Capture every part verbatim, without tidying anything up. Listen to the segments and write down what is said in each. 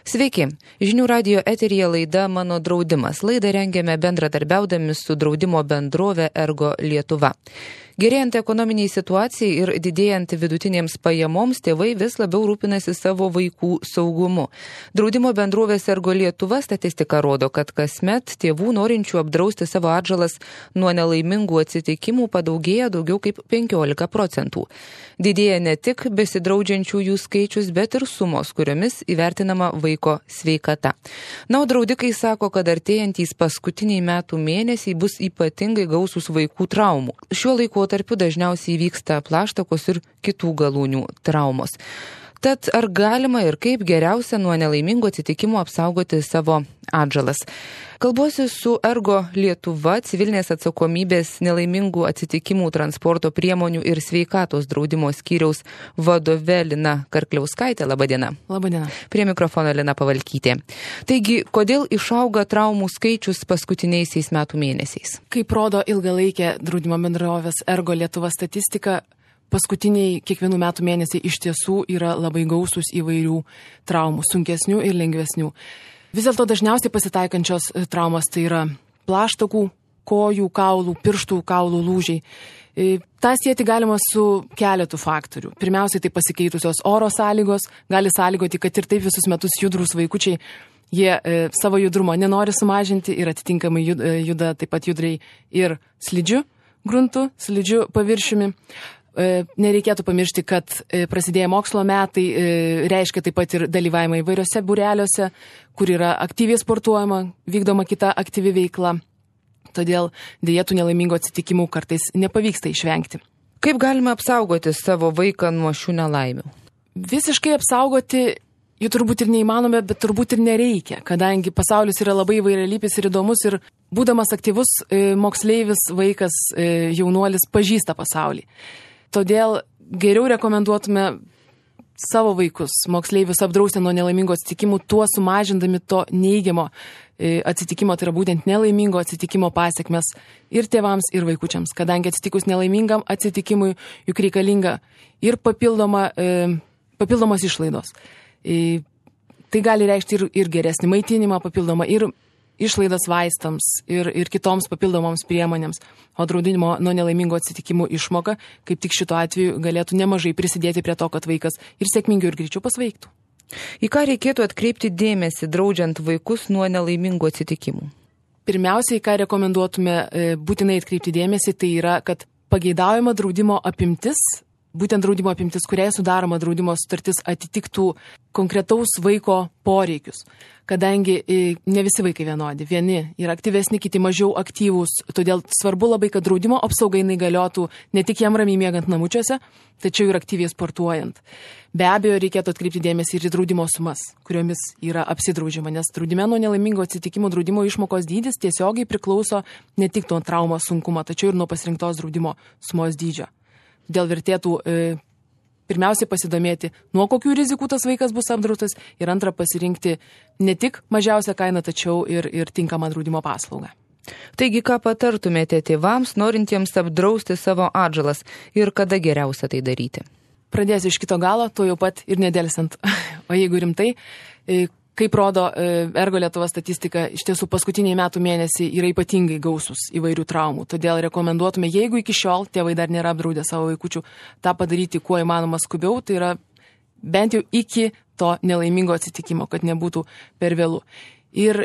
Sveiki, žinių radijo eteryje laida Mano draudimas. Laidą rengiame bendradarbiaudami su draudimo bendrove Ergo Lietuva. Gerėjant ekonominiai situacijai ir didėjant vidutinėms pajamoms, tėvai vis labiau rūpinasi savo vaikų saugumu. Draudimo bendrovės Ergo Lietuva statistika rodo, kad kasmet tėvų norinčių apdrausti savo atžalas nuo nelaimingų atsitikimų padaugėja daugiau kaip penkiolika procentų. Didėja ne tik besidraudžiančiųjų skaičius, bet ir sumos, kuriomis įvertinama vaiko sveikata. Na, o draudikai sako, kad artėjantys paskutiniai metų mėnesiai bus ypatingai gausūs vaikų traumų. Šiuo laikotarpiu dažniausiai vyksta plaštakos ir kitų galūnių traumos. Tad ar galima ir kaip geriausia nuo nelaimingų atsitikimų apsaugoti savo atžalas? Kalbuosi su Ergo Lietuva civilinės atsakomybės nelaimingų atsitikimų transporto priemonių ir sveikatos draudimo skyriaus vadove Lina Karkliauskaitė. Labadiena. Labadiena. Prie mikrofono Lina Pavalkytė. Taigi, kodėl išauga traumų skaičius paskutiniaisiais metų mėnesiais? Kaip rodo ilgalaikė draudimo bendrovės Ergo Lietuva statistika, paskutiniai kiekvienų metų mėnesiai iš tiesų yra labai gausūs įvairių traumų, sunkesnių ir lengvesnių. Vis dėlto dažniausiai pasitaikančios traumos tai yra plaštakų, kojų, kaulų, pirštų kaulų lūžiai. Ta sieti galima su keletu faktorių. Pirmiausiai tai pasikeitusios oro sąlygos, gali sąlygoti, kad ir taip visus metus judrus vaikučiai, jie e, savo judrumo nenori sumažinti ir atitinkamai juda, juda taip pat judriai ir slidžiu gruntu, slidžiu paviršiumi. Nereikėtų pamiršti, kad prasidėję mokslo metai reiškia taip pat ir dalyvavimą įvairiose būreliuose, kur yra aktyviai sportuojama, vykdoma kita aktyvi veikla. Todėl dėja tų nelaimingų atsitikimų kartais nepavyksta išvengti. Kaip galime apsaugoti savo vaiką nuo šių nelaimių? Visiškai apsaugoti jų turbūt ir neįmanome, bet turbūt ir nereikia, kadangi pasaulis yra labai įvairialypis ir įdomus ir būdamas aktyvus moksleivis, vaikas, jaunuolis pažįsta pasaulį. Todėl geriau rekomenduotume savo vaikus, moksleivius apdrausti nuo nelaimingų atsitikimų, tuo sumažindami to neigiamo atsitikimo, tai yra būtent nelaimingo atsitikimo pasiekmes ir tėvams, ir vaikučiams, kadangi atsitikus nelaimingam atsitikimui juk reikalinga ir papildoma, papildomos išlaidos. Tai gali reikšti ir, ir geresnį maitinimą papildomą, ir išlaidas vaistams ir, ir kitoms papildomoms priemonėms, o draudimo nuo nelaimingų atsitikimų išmoka, kaip tik šituo atveju, galėtų nemažai prisidėti prie to, kad vaikas ir sėkmingiau ir greičiau pasveiktų. Į ką reikėtų atkreipti dėmesį, draudžiant vaikus nuo nelaimingų atsitikimų? Pirmiausiai, ką rekomenduotume būtinai atkreipti dėmesį, tai yra, kad pageidaujama draudimo apimtis, būtent draudimo apimtis, kuriai sudaroma draudimo sutartis, atitiktų konkretaus vaiko poreikius. Kadangi ne visi vaikai vienodi, vieni yra aktyvesni, kiti mažiau aktyvūs, todėl svarbu labai, kad draudimo apsauga jinai galiotų ne tik jam ramiai miegant namučiuose, tačiau ir aktyviai sportuojant. Be abejo, reikėtų atkreipti dėmesį ir į draudimo sumas, kuriomis yra apsidraudžiama, nes draudime nuo nelaimingo atsitikimų draudimo išmokos dydis tiesiogiai priklauso ne tik nuo traumos sunkumo, tačiau ir nuo pasirinktos draudimo sumos dydžio. Dėl vertėtų e, pirmiausiai pasidomėti, nuo kokių rizikų tas vaikas bus apdraustas ir antra pasirinkti ne tik mažiausią kainą, tačiau ir, ir tinkamą draudimo paslaugą. Taigi, ką patartumėte tėvams, norintiems apdrausti savo atžalas ir kada geriausia tai daryti? Pradėsiu iš kito galo, tuo jau pat ir nedelsant. O jeigu rimtai, e, kaip rodo Ergo Lietuva statistika, iš tiesų paskutiniai metų mėnesiai yra ypatingai gausūs įvairių traumų. Todėl rekomenduotume, jeigu iki šiol tėvai dar nėra apdraudę savo vaikučių, tą padaryti kuo įmanoma skubiau, tai yra bent jau iki to nelaimingo atsitikimo, kad nebūtų per vėlu. Ir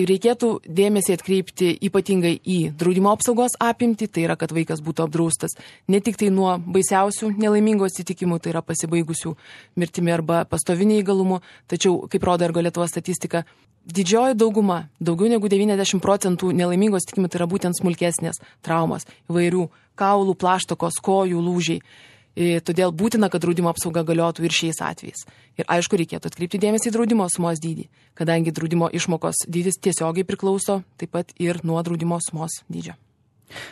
reikėtų dėmesį atkreipti ypatingai į draudimo apsaugos apimtį, tai yra, kad vaikas būtų apdraustas ne tik tai nuo baisiausių nelaimingų atsitikimų, tai yra pasibaigusių mirtimi arba pastoviniu neįgalumu, tačiau, kaip rodo Ergo Lietuva statistika, didžioji dauguma, daugiau negu devyniasdešimt procentų nelaimingų atsitikimų, tai yra būtent smulkesnės traumos, įvairių kaulų, plaštakos, kojų, lūžiai. Todėl būtina, kad draudimo apsauga galiotų ir šiais atvejais. Ir aišku, reikėtų atkreipti dėmesį į draudimo sumos dydį, kadangi draudimo išmokos dydis tiesiogiai priklauso taip pat ir nuo draudimo sumos dydžio.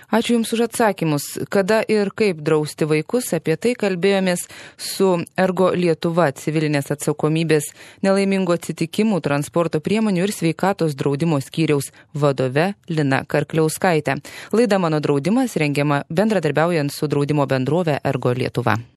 Ačiū Jums už atsakymus. Kada ir kaip drausti vaikus, apie tai kalbėjomės su Ergo Lietuva civilinės atsakomybės nelaimingų atsitikimų transporto priemonių ir sveikatos draudimo skyriaus vadove Lina Karkliauskaitė. Laida Mano draudimas rengiama bendradarbiaujant su draudimo bendrove Ergo Lietuva.